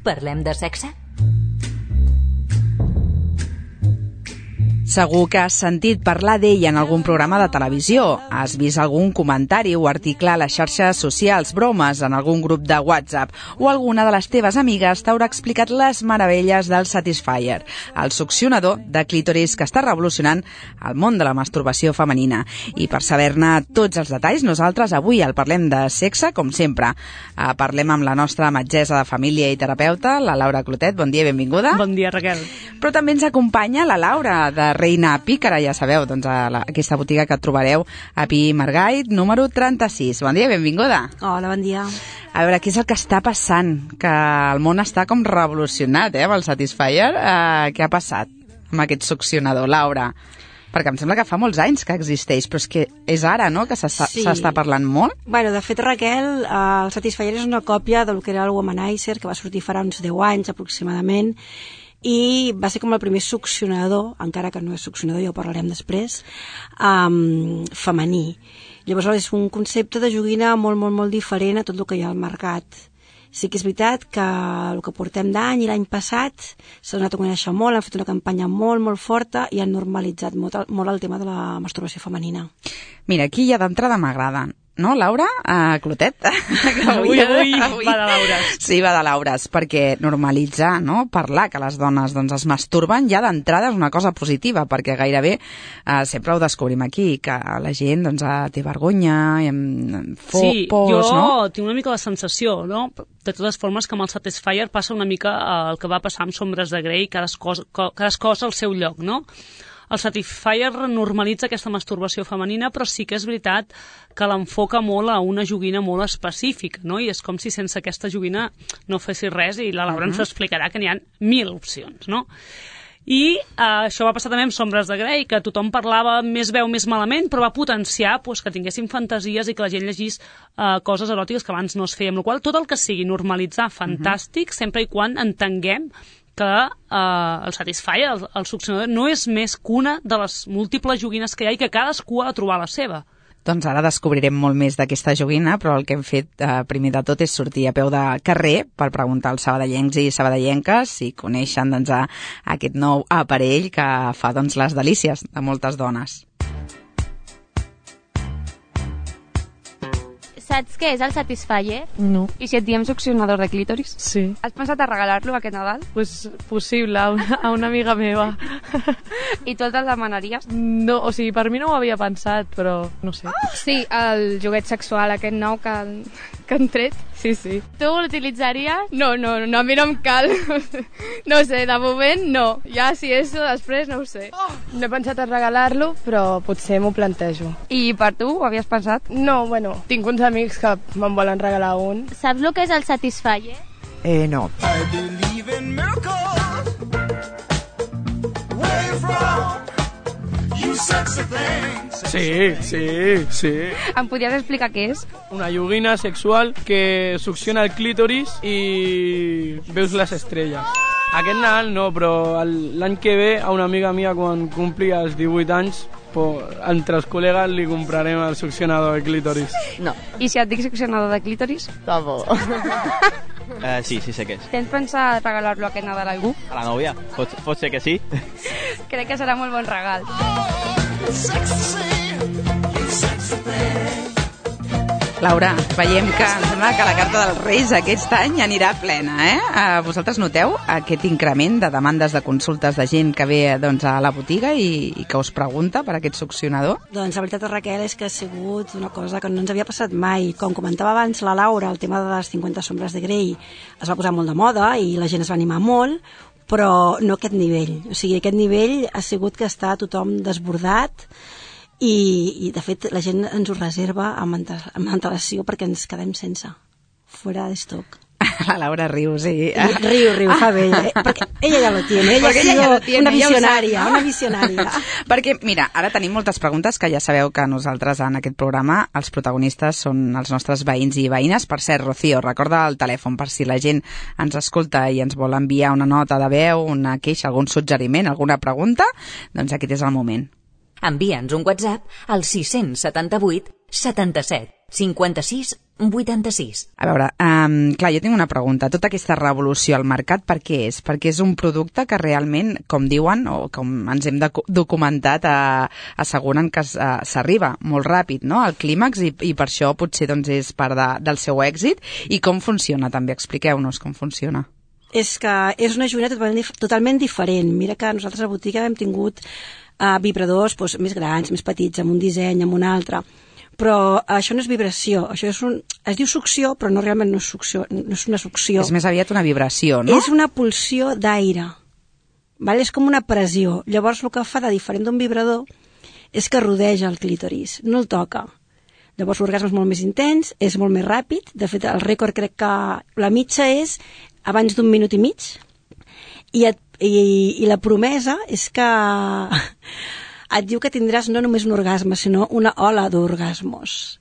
Parlem de sexe? Segur que has sentit parlar d'ell en algun programa de televisió. Has vist algun comentari o article a les xarxes socials, bromes en algun grup de WhatsApp, o alguna de les teves amigues t'haurà explicat les meravelles del Satisfyer, el succionador de clítoris que està revolucionant el món de la masturbació femenina. I per saber-ne tots els detalls, nosaltres avui el Parlem de Sexe, com sempre. Parlem amb la nostra metgessa de família i terapeuta, la Laura Clotet. Bon dia i benvinguda. Bon dia, Raquel. Però també ens acompanya la Laura, de Reina Pícara, ja sabeu, doncs aquesta botiga que trobareu a Pi Margall, número 36. Bon dia, benvinguda. Hola, bon dia. A veure, què és el que està passant? Que el món està com revolucionat, amb el Satisfyer. Què ha passat amb aquest succionador, Laura? Perquè em sembla que fa molts anys que existeix, però és que és ara, no?, que s'està parlant molt. Bueno, de fet, Raquel, el Satisfyer és una còpia del que era el Womanizer, que va sortir farà uns 10 anys aproximadament, i va ser com el primer succionador, encara que no és succionador, ja ho parlarem després, femení. Llavors és un concepte de joguina molt, molt, molt diferent a tot el que hi ha al mercat. Sí que és veritat que el que portem d'any i l'any passat s'ha donat a conèixer molt, han fet una campanya molt, molt forta i han normalitzat molt el tema de la masturbació femenina. Mira, aquí ja d'entrada m'agraden. No, Laura? Clotet? Avui va de Laures. Sí, va de Laures, perquè normalitzar, no?, parlar que les dones doncs, es masturben ja d'entrada és una cosa positiva, perquè gairebé sempre ho descobrim aquí, que la gent doncs, té vergonya, por, no? Tinc una mica la sensació, no?, de totes formes, que amb el Satisfyer passa una mica el que va passar amb Sombres de Grey, cadascú al seu lloc, no? El Satisfyer normalitza aquesta masturbació femenina, però sí que és veritat que l'enfoca molt a una joguina molt específica, no? I és com si sense aquesta joguina no fessis res, i la Laura ens explicarà que n'hi ha 1000 opcions, no? I això va passar també amb Sombres de Grey, que tothom parlava més veu més malament, però va potenciar que tinguéssim fantasies i que la gent llegís coses eròtiques que abans no es feia, amb la qual tot el que sigui normalitzar, fantàstic, sempre i quan entenguem que el Satisfyer, el succionador, no és més que una de les múltiples joguines que hi ha i que cadascú ha de trobar la seva. Doncs ara descobrirem molt més d'aquesta joguina, però el que hem fet primer de tot és sortir a peu de carrer per preguntar als sabadellencs i sabadellenques si coneixen doncs, aquest nou aparell que fa doncs, les delícies de moltes dones. Saps què és el Satisfyer? No. I si et diem succionador de clítoris? Sí. Has pensat a regalar-lo aquest Nadal? Pues possible, a una amiga meva. I tu el demanaries? No, o sigui, per mi no ho havia pensat, però no sé. Sí, el joguet sexual aquest nou que han tret. Sí, sí. Tu l'utilitzaries? No, a mi no em cal. No sé, de moment no. Ja si és després no ho sé. No he pensat a regalar-lo, però potser m'ho plantejo. I per tu ho havies pensat? No, bueno, tinc uns amics que me'n volen regalar un. Saps el que és el Satisfyer? No. I believe in miracles. Where you from? You sexy thing. Sí. Em podries explicar què és? Una joguina sexual que succiona el clítoris i veus les estrelles. Aquest Nadal no, però l'any que ve a una amiga mia quan compli els 18 anys entre els col·legues li comprarem el succionador de clítoris. No. I si et dic succionador de clítoris? Tampoc. Sí, sé què és. Tens pensat regalar-lo aquest Nadal a algú? A la nòvia? Pot ser que sí. Crec que serà molt bon regal. Laura, veiem que em sembla que la carta dels Reis aquest any anirà plena, Vosaltres noteu aquest increment de demandes de consultes de gent que ve doncs, a la botiga i que us pregunta per aquest succionador? Doncs la veritat, Raquel, és que ha sigut una cosa que no ens havia passat mai. Com comentava abans la Laura, el tema de les 50 sombres de Grey es va posar molt de moda i la gent es va animar molt, però no aquest nivell. O sigui, aquest nivell ha sigut que està tothom desbordat i de fet la gent ens ho reserva amb antelació perquè ens quedem sense, fora d'estoc. La Laura riu, sí. Riu, fa bé. Perquè ella ja lo tiene. Ella ha sido una visionària. Perquè, mira, ara tenim moltes preguntes que ja sabeu que nosaltres en aquest programa els protagonistes són els nostres veïns i veïnes. Per cert, Rocío, recorda el telèfon per si la gent ens escolta i ens vol enviar una nota de veu, una queixa, algun suggeriment, alguna pregunta, doncs aquest és el moment. Envia'ns un WhatsApp al 678 77 56 86. A veure, clar, jo tinc una pregunta. Tota aquesta revolució al mercat, per què és? Perquè és un producte que realment, com diuen, o com ens hem documentat, asseguren que s'arriba molt ràpid, no?, al clímax, i per això potser doncs, és part del seu èxit. I com funciona, també? Expliqueu-nos com funciona. És que és una joguina totalment diferent. Mira que nosaltres a la botiga hem tingut vibradors doncs, més grans, més petits, amb un disseny, amb un altre. Però això no és vibració, això es diu succió, però no realment no és succió, no és una succió. És més aviat una vibració, no? És una pulsió d'aire, vale? És com una pressió. Llavors el que fa de diferent d'un vibrador és que rodeja el clítoris, no el toca. Llavors l'orgasme és molt més intens, és molt més ràpid, de fet el rècord crec que la mitja és abans d'1 minut i mig, i la promesa és que et diu que tindràs no només un orgasme, sinó una ola d'orgasmos.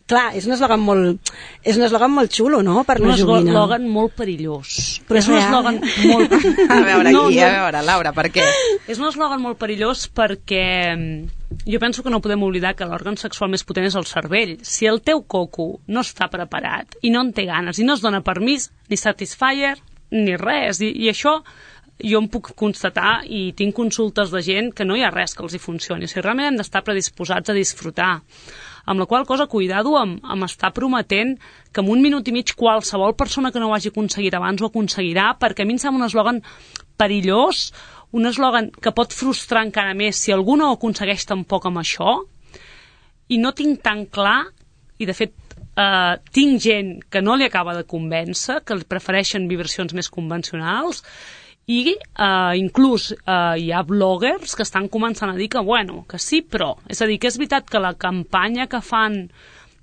Clar, és un eslògan molt xulo, no?, per una joguina. Un eslògan molt perillós. Però és un eslògan molt... A veure, a veure, Laura, per què? És un eslògan molt perillós perquè jo penso que no podem oblidar que l'òrgan sexual més potent és el cervell. Si el teu coco no està preparat i no en té ganes i no es dona permís, ni satisfier, ni res, i això... Jo em puc constatar i tinc consultes de gent que no hi ha res que els hi funcioni. O sigui, realment hem d'estar predisposats a disfrutar. Amb la qual cosa, cuidado amb estar prometent que en 1 minut i mig qualsevol persona que no ho hagi aconseguit abans ho aconseguirà, perquè a mi em sembla un eslògan perillós, un eslògan que pot frustrar encara més si algú no ho aconsegueix tampoc amb això, i no tinc tan clar, i de fet tinc gent que no li acaba de convèncer, que prefereixen vibracions més convencionals, i inclús hi ha bloggers que estan començant a dir que, bueno, que sí, però. És a dir, que és veritat que la campanya que fan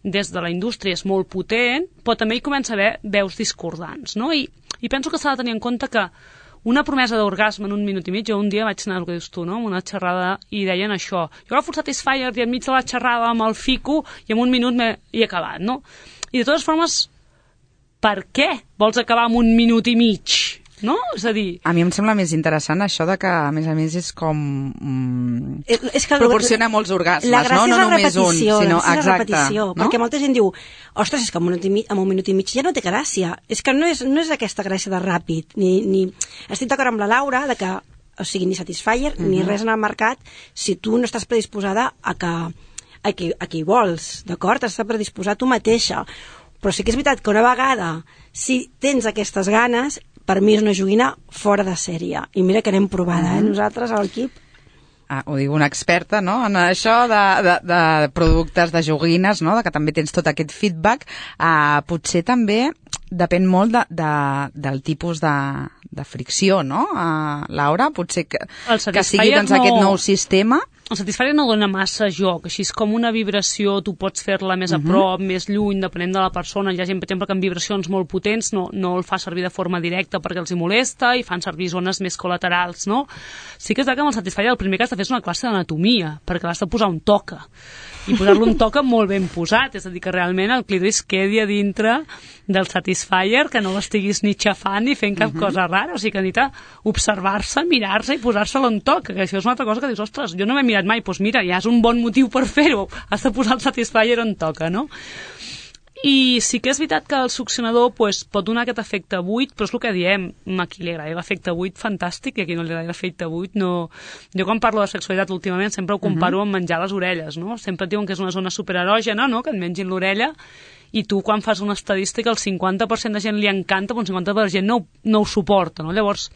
des de la indústria és molt potent, però també hi comença a haver veus discordants, no? I penso que s'ha de tenir en compte que una promesa d'orgasme en 1 minut i mig, jo un dia vaig anar, el que dius tu, no?, amb una xerrada, i deien això. Jo agafo el Satisfyer i enmig de la xerrada amb el fico i en 1 minut he acabat, no? I de totes formes, per què vols acabar en 1 minut i mig? No? És a dir... A mi em sembla més interessant això de que, a més és com... és que proporciona molts orgasmes, no? No només un, sinó... Exacte, repetició, no? Perquè molta gent diu, ostres, és que en 1 minut i mig ja no té gràcia. És que no és aquesta gràcia de ràpid, ni... Estic d'acord amb la Laura de que, o sigui, ni Satisfyer, ni res en el mercat, si tu no estàs predisposada a qui hi vols, d'acord? Estàs predisposada tu mateixa. Però sí que és veritat que una vegada, si tens aquestes ganes, per mi és una joguina fora de sèrie. I mira que n'hem provada, nosaltres, a l'equip. Ho diu una experta, no?, en això de productes, de joguines, no?, de que també tens tot aquest feedback. Potser també depèn molt del tipus de fricció, no, Laura? Potser que sigui doncs, aquest nou sistema... El Satisfyer no dona massa joc, així és com una vibració, tu pots fer-la més a prop, més lluny, depenent de la persona. Hi ha gent, per exemple, que amb vibracions molt potents no el fa servir de forma directa perquè els hi molesta i fan servir zones més col·laterals, no? Sí que és que amb el Satisfyer el primer que has de fer és una classe d'anatomia, perquè l'has de posar un toca. I posar-lo un toca molt ben posat, és a dir, que realment el clítoris quedi a dintre del Satisfyer, que no l'estiguis ni xafant ni fent cap cosa rara, o sigui que necessita observar-se, mirar-se i posar-se-lo en toca, que això és una altra cosa que dius, ostres, jo no m'he mirat mai, doncs mira, ja és un bon motiu per fer-ho, has de posar el Satisfyer on toca, no? I sí que és veritat que el succionador pot donar aquest efecte buit, però és el que diem, a qui li agrada l'efecte buit, fantàstic, i a qui no li agrada l'efecte buit, no... Jo quan parlo de sexualitat últimament sempre ho comparo amb menjar les orelles, no? Sempre et diuen que és una zona supererògena, no?, que et mengin l'orella, i tu quan fas una estadística el 50% de gent li encanta, però el 50% de gent no ho suporta, no? Llavors,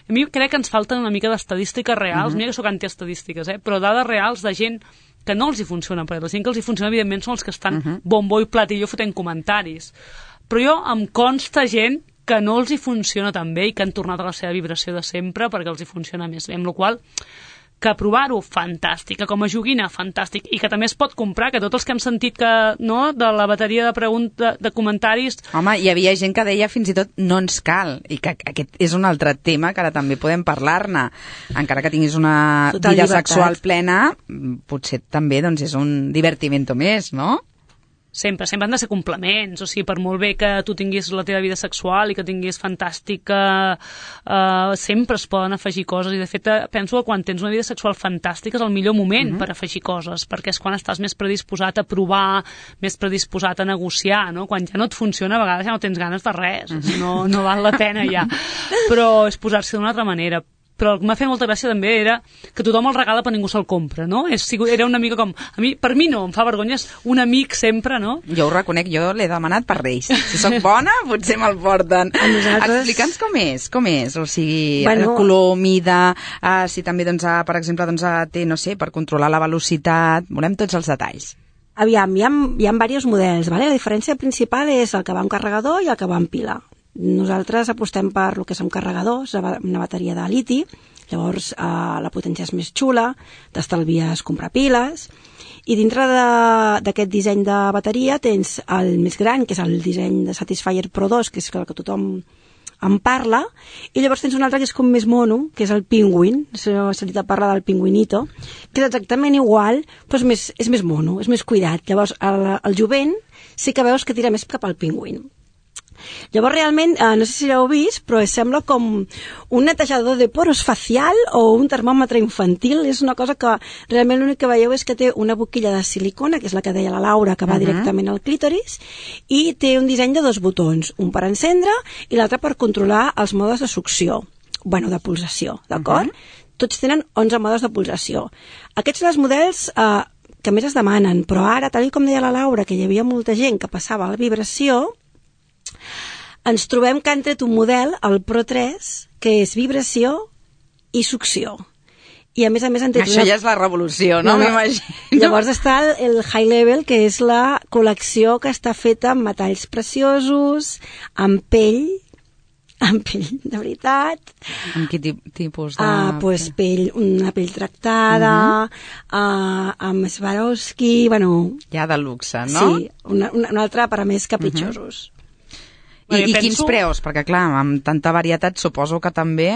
a mi crec que ens falten una mica d'estadístiques reals, mira que sóc antiestadístiques, però dades reals de gent que no els hi funciona, perquè la gent que els hi funciona evidentment són els que estan bombo i platillo fotent comentaris, però jo em consta gent que no els hi funciona tan bé i que han tornat a la seva vibració de sempre perquè els hi funciona més bé, amb la qual que provar-ho, fantàstic, que com a joguina, fantàstic, i que també es pot comprar, que tots els que hem sentit que, no, de la bateria de comentaris... Home, hi havia gent que deia fins i tot no ens cal, i que aquest és un altre tema que ara també podem parlar-ne. Encara que tinguis una vida sexual plena, potser també doncs, és un divertimento més, no? sempre han de ser complements, o sigui, per molt bé que tu tinguis la teva vida sexual i que tinguis fantàstica, sempre es poden afegir coses, i de fet penso que quan tens una vida sexual fantàstica és el millor moment per afegir coses, perquè és quan estàs més predisposat a provar, més predisposat a negociar, no? Quan ja no et funciona, a vegades ja no tens ganes de res, no val la pena ja, però és posar-se d'una altra manera. Però el que m'ha fet molta gràcia també era que tothom el regala però ningú se'l compra, no? Era una mica com... Per mi no, em fa vergonya, és un amic sempre, no? Jo ho reconec, jo l'he demanat per Reis. Si soc bona, potser me'l porten. Explica'ns com és, o sigui, el color, mida, si també, doncs, per exemple, té, no sé, per controlar la velocitat, volem tots els detalls. Aviam, hi ha diversos models, ¿vale? La diferència principal és el que va amb carregador i el que va amb pila. Nosaltres apostem per el que són carregadors, una bateria de liti, llavors la potència és més xula, t'estalvies comprar piles, i dintre d'aquest disseny de bateria tens el més gran, que és el disseny de Satisfyer Pro 2, que és el que tothom en parla, i llavors tens un altre que és com més mono, que és el Penguin, s'ha sentit a parlar del Penguinito, que és exactament igual, però és més mono, és més cuidat. Llavors el jovent sí que veus que tira més cap al Penguin. Llavors realment, no sé si l'heu vist, però sembla com un netejador de poros facial o un termòmetre infantil. És una cosa que realment l'únic que veieu és que té una boquilla de silicona, que és la que deia la Laura, que va directament al clítoris, i té un disseny de 2 botons, un per encendre i l'altre per controlar els modes de succió, de pulsació, d'acord? Tots tenen 11 modes de pulsació. Aquests són els models que més es demanen, però ara, tal com deia la Laura, que hi havia molta gent que passava a la vibració, ens trobem que han tret un model, el Pro 3, que és vibració i succió. I a més han tret... Això ja és la revolució, no? M'imagino. Llavors està el High Level, que és la col·lecció que està feta amb metalls preciosos, amb pell de veritat. Amb quin tipus de... Doncs una pell tractada, amb Swarovski, Ja de luxe, no? Sí, una altra per a més capritxosos. I quins preus? Perquè, clar, amb tanta varietat suposo que també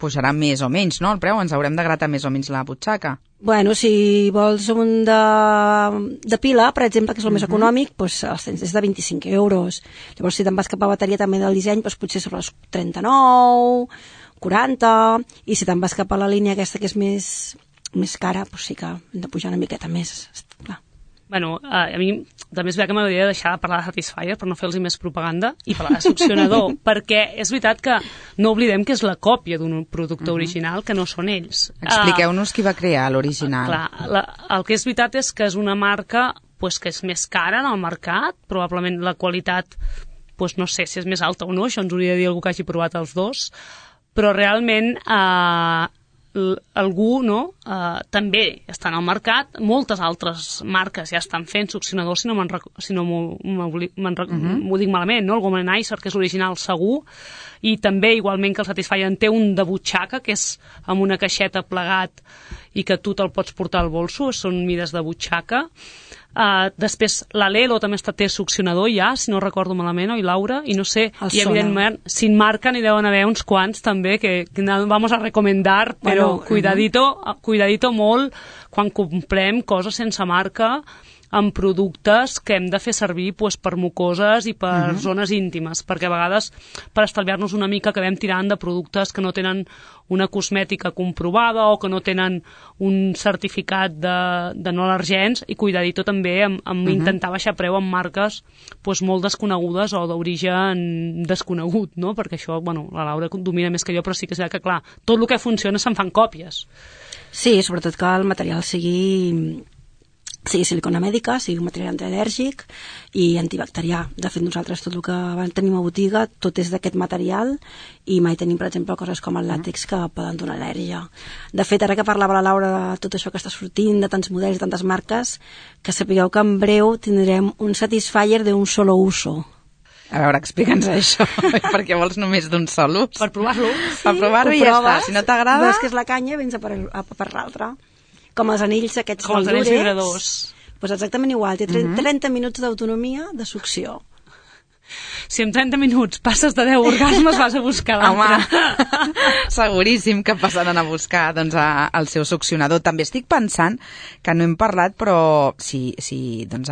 pujarà més o menys, no? El preu, ens haurem de gratar més o menys la butxaca. Si vols un de pila, per exemple, que és el més econòmic, doncs els tens des de 25 euros. Llavors, si te'n vas cap a bateria també del disseny, doncs potser sobre els 39, 40, i si te'n vas cap a la línia aquesta que és més cara, doncs sí que hem de pujar una miqueta més, clar. A mi també és veritat que m'hauria de deixar de parlar de Satisfyer per no fer-los més propaganda i parlar de succionador, perquè és veritat que no oblidem que és la còpia d'un producte original, que no són ells. Expliqueu-nos qui va crear l'original. El que és veritat és que és una marca que és més cara en el mercat, probablement la qualitat no sé si és més alta o no, això ens hauria de dir algú que hagi provat els dos, però realment algú també està en el mercat, moltes altres marques ja estan fent succionadors, si no m'ho dic malament, el Womanizer, que és l'original segur, i també igualment que el Satisfyer en té un de butxaca, que és amb una caixeta plegat i que tu te'l pots portar al bolso, són mides de butxaca. Després l'Alelo també té succionador ja, si no recordo malament, oi Laura? I no sé, i evidentment sin marca n'hi deuen haver uns quants també que vamos a recomendar, però cuidadito molt quan comprem coses sense marca amb productes que hem de fer servir per mucoses i per zones íntimes, perquè a vegades per estalviar-nos una mica acabem tirant de productes que no tenen una cosmètica comprovada o que no tenen un certificat de no al·lergens, i cuidadito també amb intentar baixar preu amb marques molt desconegudes o d'origen desconegut, no? Perquè això, la Laura domina més que jo, però sí que és que, clar, tot el que funciona se'n fan còpies. Sí, sobretot que el material sigui silicona mèdica, sigui un material antial·lèrgic i antibacterià. De fet, nosaltres tot el que tenim a botiga, tot és d'aquest material, i mai tenim, per exemple, coses com el làtex que poden donar al·lèrgia. De fet, ara que parlava la Laura de tot això que està sortint, de tants models, de tantes marques, que sapigueu que en breu tindrem un Satisfyer d'un solo uso. A veure, explica'ns això, perquè vols només d'un sol ús? Per provar-lo. Per provar-ho i ja està. Si no t'agrada... Veus que és la canya, vens a per l'altra. Com els anells aquests com els anells vibradors. Doncs exactament igual, té 30 minuts d'autonomia de succió. Si en 30 minuts passes de 10 orgasmes vas a buscar l'altre. Home, seguríssim que passaran a buscar doncs, el seu succionador. També estic pensant que no hem parlat, però si doncs,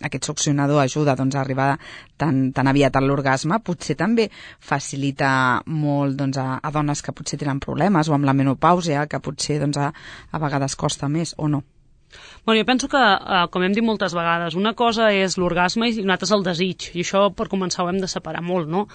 aquest succionador ajuda doncs, a arribar tan aviat a l'orgasme, potser també facilita molt doncs, a dones que potser tenen problemes o amb la menopàusia, que potser doncs, a vegades costa més, o no? Bueno, jo penso que, com hem dit moltes vegades, una cosa és l'orgasme i una altra és el desig, i això per començar ho hem de separar molt, no?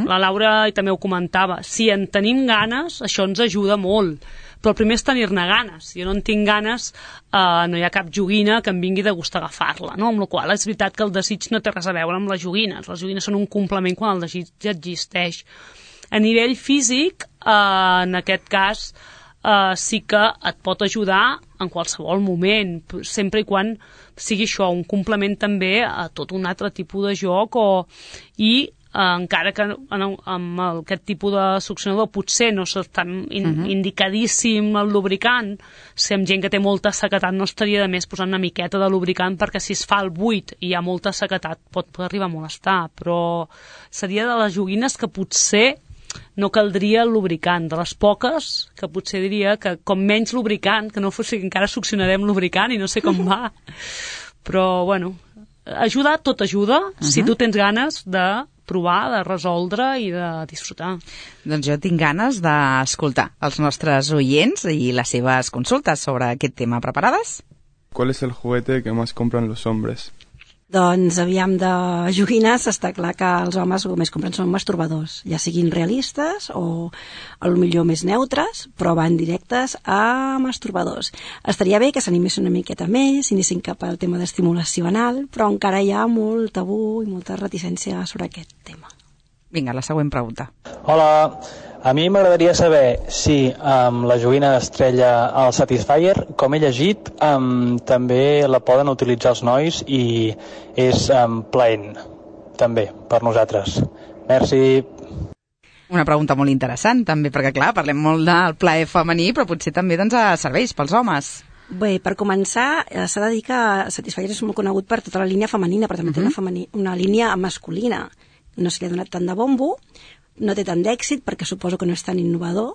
La Laura també ho comentava, si en tenim ganes, això ens ajuda molt, però el primer és tenir-ne ganes. Si jo no en tinc ganes, no hi ha cap joguina que em vingui de gust agafar-la, no? Amb la qual és veritat que el desig no té res a veure amb les joguines són un complement quan el desig ja existeix. A nivell físic, en aquest cas, sí que et pot ajudar en qualsevol moment, sempre i quan sigui això, un complement també a tot un altre tipus de joc i encara que amb aquest tipus de succionador potser no és tan indicadíssim el lubricant, si amb gent que té molta sequedat no estaria de més posar una miqueta de lubricant, perquè si es fa el buit i hi ha molta sequedat pot arribar a molestar, però seria de les joguines que potser no caldria el lubricant, de les poques que potser diria que com menys lubricant, que no fos que encara succionarem lubricant i no sé com va, però bueno, tot ajuda si tu tens ganes de provar, de resoldre i de disfrutar. Doncs jo tinc ganes d'escoltar els nostres oients i les seves consultes sobre aquest tema. Preparades? ¿Cuál es el juguete que más compran los hombres? Doncs, aviam, de joguines està clar que els homes el que més compren són masturbadors, ja siguin realistes o a lo millor més neutres, però van directes a masturbadors. Estaria bé que s'animessin una miqueta més, s'anessin cap al tema d'estimulació anal, però encara hi ha molt tabú i molta reticència sobre aquest tema. Vinga, la següent pregunta. Hola, a mi m'agradaria saber si amb la joguina d'estrella al Satisfyer, com he llegit, també la poden utilitzar els nois i és plaent, també, per nosaltres. Merci. Una pregunta molt interessant, també, perquè clar, parlem molt del plaer femení, però potser també doncs, serveix pels homes. Bé, per començar, s'ha de dir que Satisfyer és molt conegut per tota la línia femenina, però també té una línia masculina. No se li ha donat tant de bombo, no té tant d'èxit perquè suposo que no és tan innovador,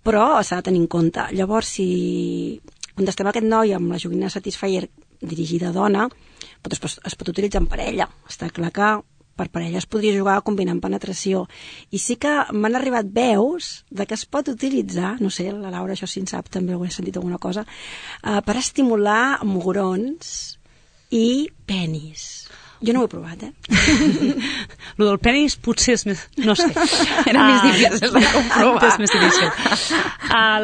però s'ha de tenir en compte. Llavors, si contestem a aquest noi amb la joguina Satisfyer dirigida a dona, es pot utilitzar en parella. Està clar que per parella es podria jugar combinant penetració. I sí que m'han arribat veus de que es pot utilitzar, no sé, la Laura això sí en sap, també ho he sentit alguna cosa, per estimular mugrons i penis. Jo no ho he provat, Lo del penis potser és més... No sé. Era més difícil de comprovar. És més difícil.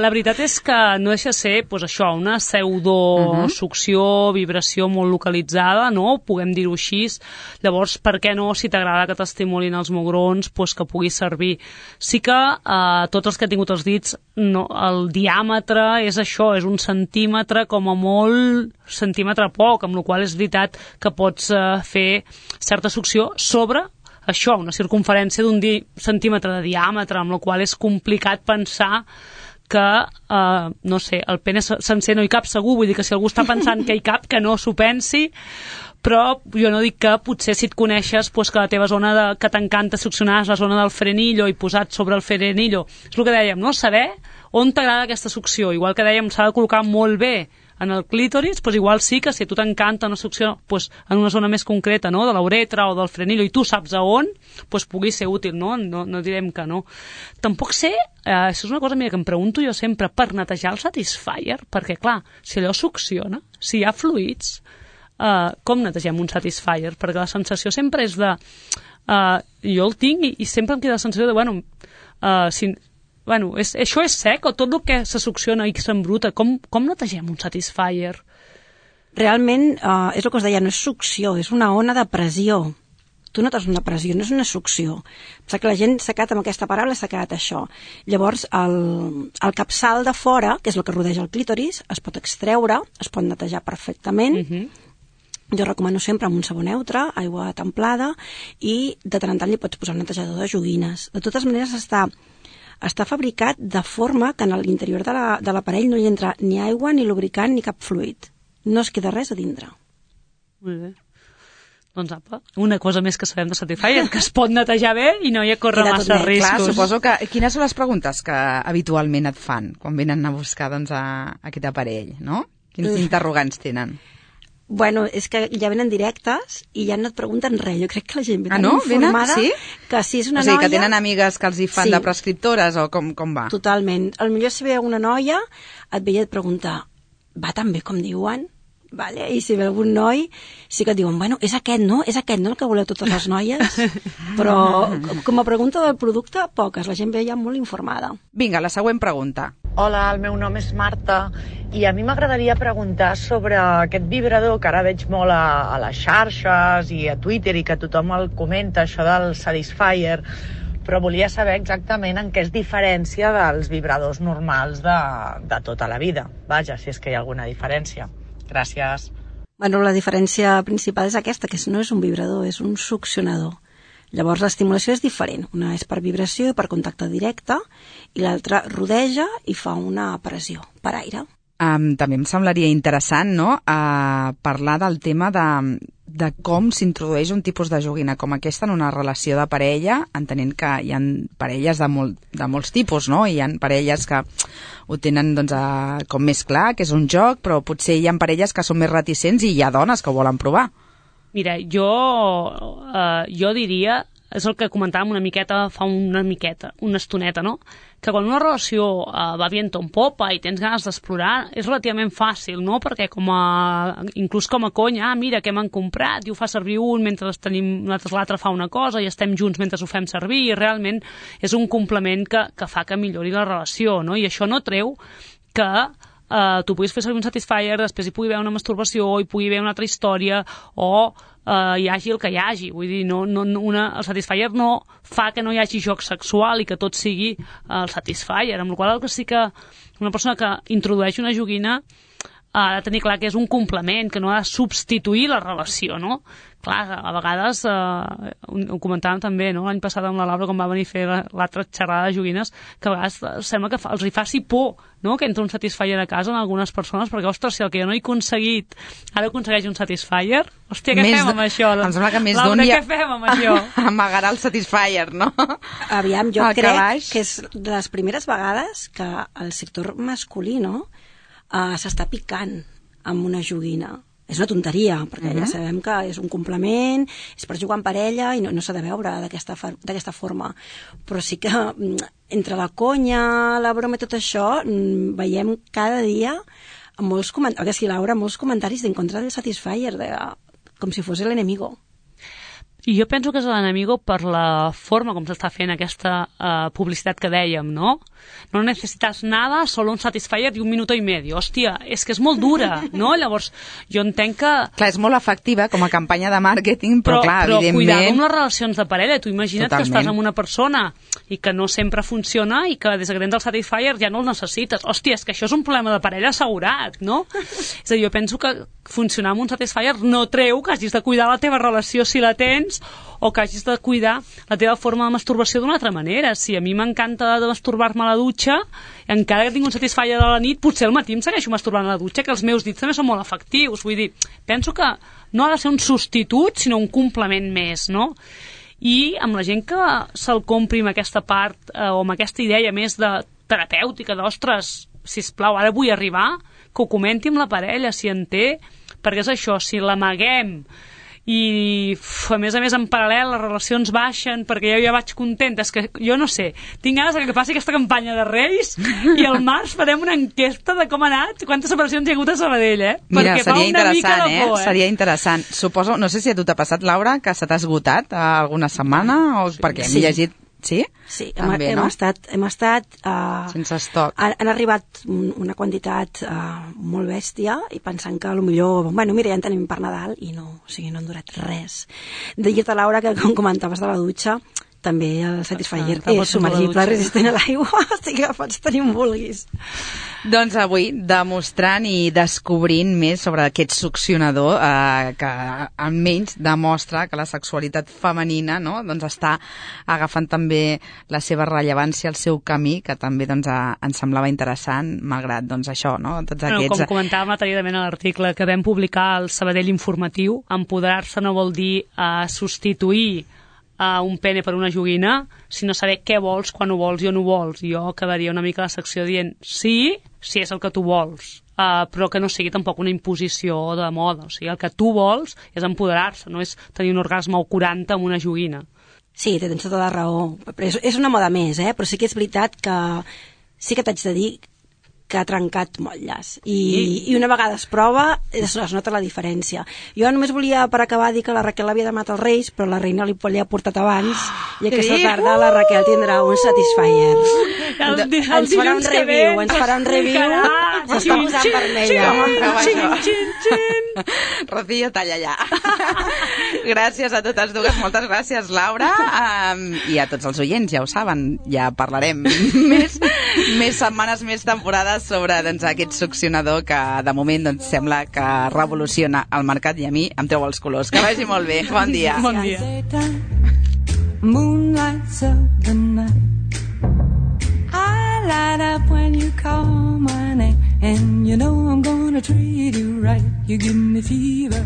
La veritat és que no deixa de ser pues, això, una pseudosucció, vibració molt localitzada, no? Puguem dir-ho així. Llavors, per què no, si t'agrada que t'estimulin els mugrons, pues, que pugui servir? Sí que tots els que he tingut els dits, no, el diàmetre és això, és 1 centímetre, com a molt centímetre poc, amb la qual és veritat que pots fer certa succió sobre això, una circunferència d'1 centímetre de diàmetre, amb la qual és complicat pensar que, no sé, el pene sencer no hi cap segur, vull dir que si algú està pensant que hi cap, que no s'ho pensi, però jo no dic que potser si et coneixes pues, que la teva zona que t'encanta succionar és la zona del frenillo i posat sobre el frenillo, és el que dèiem, no? Saber on t'agrada aquesta succió, igual que dèiem s'ha de col·locar molt bé en el clítoris, doncs igual sí que si a tu t'encanta una succió doncs en una zona més concreta, no? De la uretra o del frenillo, i tu saps a on, doncs pugui ser útil, no? No direm que no. Tampoc sé, això és una cosa que em pregunto jo sempre, per netejar el Satisfyer, perquè clar, si allò succiona, si hi ha fluids, com netegem un Satisfyer? Perquè la sensació sempre és de... jo el tinc i sempre em queda la sensació de, això és sec o tot el que se succiona i que s'embruta, com netegem un Satisfyer? Realment, és el que us deia, no és succió, és una ona de pressió. Tu notes una pressió, no és una succió. Pensa que la gent s'ha quedat amb aquesta paraula, s'ha quedat això. Llavors, el capçal de fora, que és el que rodeja el clítoris, es pot extreure, es pot netejar perfectament. Jo recomano sempre amb un sabó neutre, aigua templada, i de tant en tant li pots posar un netejador de joguines. De totes maneres, està fabricat de forma que en l'interior de l'aparell no hi entra ni aigua, ni lubricant, ni cap fluid. No es queda res a dintre. Molt bé. Doncs apa, una cosa més que sabem de Satisfyer, que es pot netejar bé i no hi ha córrer massa riscos. Clar, suposo que... Quines són les preguntes que habitualment et fan quan venen a buscar doncs, aquest aparell, no? Quins interrogants tenen? Bueno, és que ja venen directes i ja no et pregunten res. Jo crec que la gent ve tan informada que si és una noia... O sigui, que tenen amigues que els hi fan de prescriptores o com va? Totalment. Potser si ve una noia et ve i et pregunta va tan bé com diuen? Vale? I si ve algun noi sí que et diuen, bueno, és aquest no el que voleu totes les noies? Però com a pregunta del producte, poques, la gent ve ja molt informada. Vinga, la següent pregunta. Hola, el meu nom és Marta i a mi m'agradaria preguntar sobre aquest vibrador que ara veig molt a les xarxes i a Twitter i que tothom el comenta, això del Satisfyer, però volia saber exactament en què es diferencia dels vibradors normals de tota la vida. Vaja, si és que hi ha alguna diferència. Gràcies. Bueno, la diferència principal és aquesta, que no és un vibrador, és un succionador. Llavors l'estimulació és diferent. Una és per vibració i per contacte directe i l'altra rodeja i fa una pressió per aire. També em semblaria interessant, no?, parlar del tema de com s'introdueix un tipus de joguina com aquesta en una relació de parella, entenent que hi ha parelles de molts tipus, no? Hi ha parelles que ho tenen doncs, com més clar, que és un joc, però potser hi ha parelles que són més reticents i hi ha dones que ho volen provar. Mira, jo diria, és el que comentàvem una estoneta, no? Que quan una relació va viento en popa i tens ganes d'explorar, és relativament fàcil, no? Perquè inclús com a conya, mira què m'han comprat, i ho fa servir un mentre l'altre fa una cosa i estem junts mentre ho fem servir, i realment és un complement que fa que millori la relació, no? I això no treu que tu puguis fer servir un Satisfyer, després hi pugui haver una masturbació, hi pugui haver una altra història, o hi hagi el que hi hagi. Vull dir, el Satisfyer no fa que no hi hagi joc sexual i que tot sigui el Satisfyer, amb la qual cosa sí que una persona que introdueix una joguina ha de tenir clar que és un complement, que no ha de substituir la relació, no? Clar, a vegades, ho comentàvem també, no?, l'any passat amb la Laura, quan va venir a fer l'altra xerrada de joguines, que a vegades sembla que els hi faci por, no?, que entra un Satisfyer a casa en algunes persones, perquè, ostres, si el que jo no he aconseguit, ara aconsegueix un Satisfyer, hòstia, què fem amb això? Em sembla que més Laura, què fem amb això? Amagarà el Satisfyer, no? Aviam, jo crec que és de les primeres vegades que el sector masculí, no?, s'està picant amb una joguina. És una tonteria, perquè ja sabem que és un complement, és per jugar en parella i no s'ha de veure d'aquesta forma. Però sí que entre la conya, la broma i tot això, veiem cada dia molts comentaris, Laura, molts comentaris en contra del Satisfyer, com si fos l'enemigo. I jo penso que és l'enemigo per la forma com s'està fent aquesta publicitat que dèiem, no? No necessitas nada, solo un Satisfyer i 1 minuto y medio. Hòstia, és que és molt dura, no? Llavors, jo entenc que... Clar, és molt efectiva com a campanya de màrqueting, però clar, evidentment... Però cuidado amb les relacions de parella. Tu imagina't que estàs amb una persona i que no sempre funciona i que des que tens el Satisfyer ja no el necessites. Hòstia, és que això és un problema de parella assegurat, no? És a dir, jo penso que funcionar amb un Satisfyer no treu que hagis de cuidar la teva relació si la tens o que hagis de cuidar la teva forma de masturbació d'una altra manera. Si a mi m'encanta de masturbar-me a la dutxa, encara que tinc un Satisfyer a la nit, potser al matí em segueixo masturbant a la dutxa, que els meus dits també són molt efectius. Vull dir, penso que no ha de ser un substitut, sinó un complement més, no? I amb la gent que se'l compri amb aquesta part o amb aquesta idea més de terapèutica, d'ostres, sisplau, ara vull arribar, que ho comenti amb la parella, si en té, perquè és això, si l'amaguem i a més en paral·lel les relacions baixen perquè ja vaig contenta, és que jo no sé, tinc ganes que passi aquesta campanya de Reis i al març farem una enquesta de com ha anat, quantes separacions hi ha hagut a Sabadell, Mira, perquè seria interessant, por, seria interessant. Suposo, no sé si a tu t'ha passat, Laura, que se t'ha esgotat alguna setmana o perquè hem llegit. Sí? Sí, hem estat sense estoc. Han arribat una quantitat molt bèstia i pensant que potser, mira, ja en tenim per Nadal i no, o sigui, no han durat res. De dir-te, Laura, que com comentaves de la dutxa, també el Satisfyer és submergible, resistent a l'aigua, o sigui que pots tenir on vulguis. Doncs avui, demostrant i descobrint més sobre aquest succionador que almenys demostra que la sexualitat femenina, no?, doncs està agafant també la seva rellevància, el seu camí, que també doncs, ens semblava interessant, malgrat doncs, això, no? Tots aquests... Com comentàvem detalladament a l'article que vam publicar al Sabadell Informatiu, empoderar-se no vol dir substituir un pene per una joguina, sinó saber què vols, quan ho vols i on ho vols. Jo acabaria una mica la secció dient sí, si és el que tu vols, però que no sigui tampoc una imposició de moda. O sigui, el que tu vols és empoderar-se, no és tenir un orgasme o 40 amb una joguina. Sí, tens tota la raó. És una moda més, però sí que és veritat que sí que t'haig de dir que ha trencat motlles. I una vegada es prova, es nota la diferència. Jo només volia, per acabar, dir que la Raquel havia demanat els Reis, però la reina li ha portat abans, i aquesta tarda la Raquel tindrà un Satisfyer. Ens farà un review, s'està posant vermella. Rocío, talla ja. Gràcies a totes dues, moltes gràcies, Laura, i a tots els oients, ja ho saben, ja parlarem més setmanes, més temporades sobre aquest succionador que de moment sembla que revoluciona el mercat i a mi em treu els colors. Que vagi molt bé. Bon dia. Bon dia. Moonlights of the night, I light up when you call my name, and you know I'm gonna treat you right. You give me fever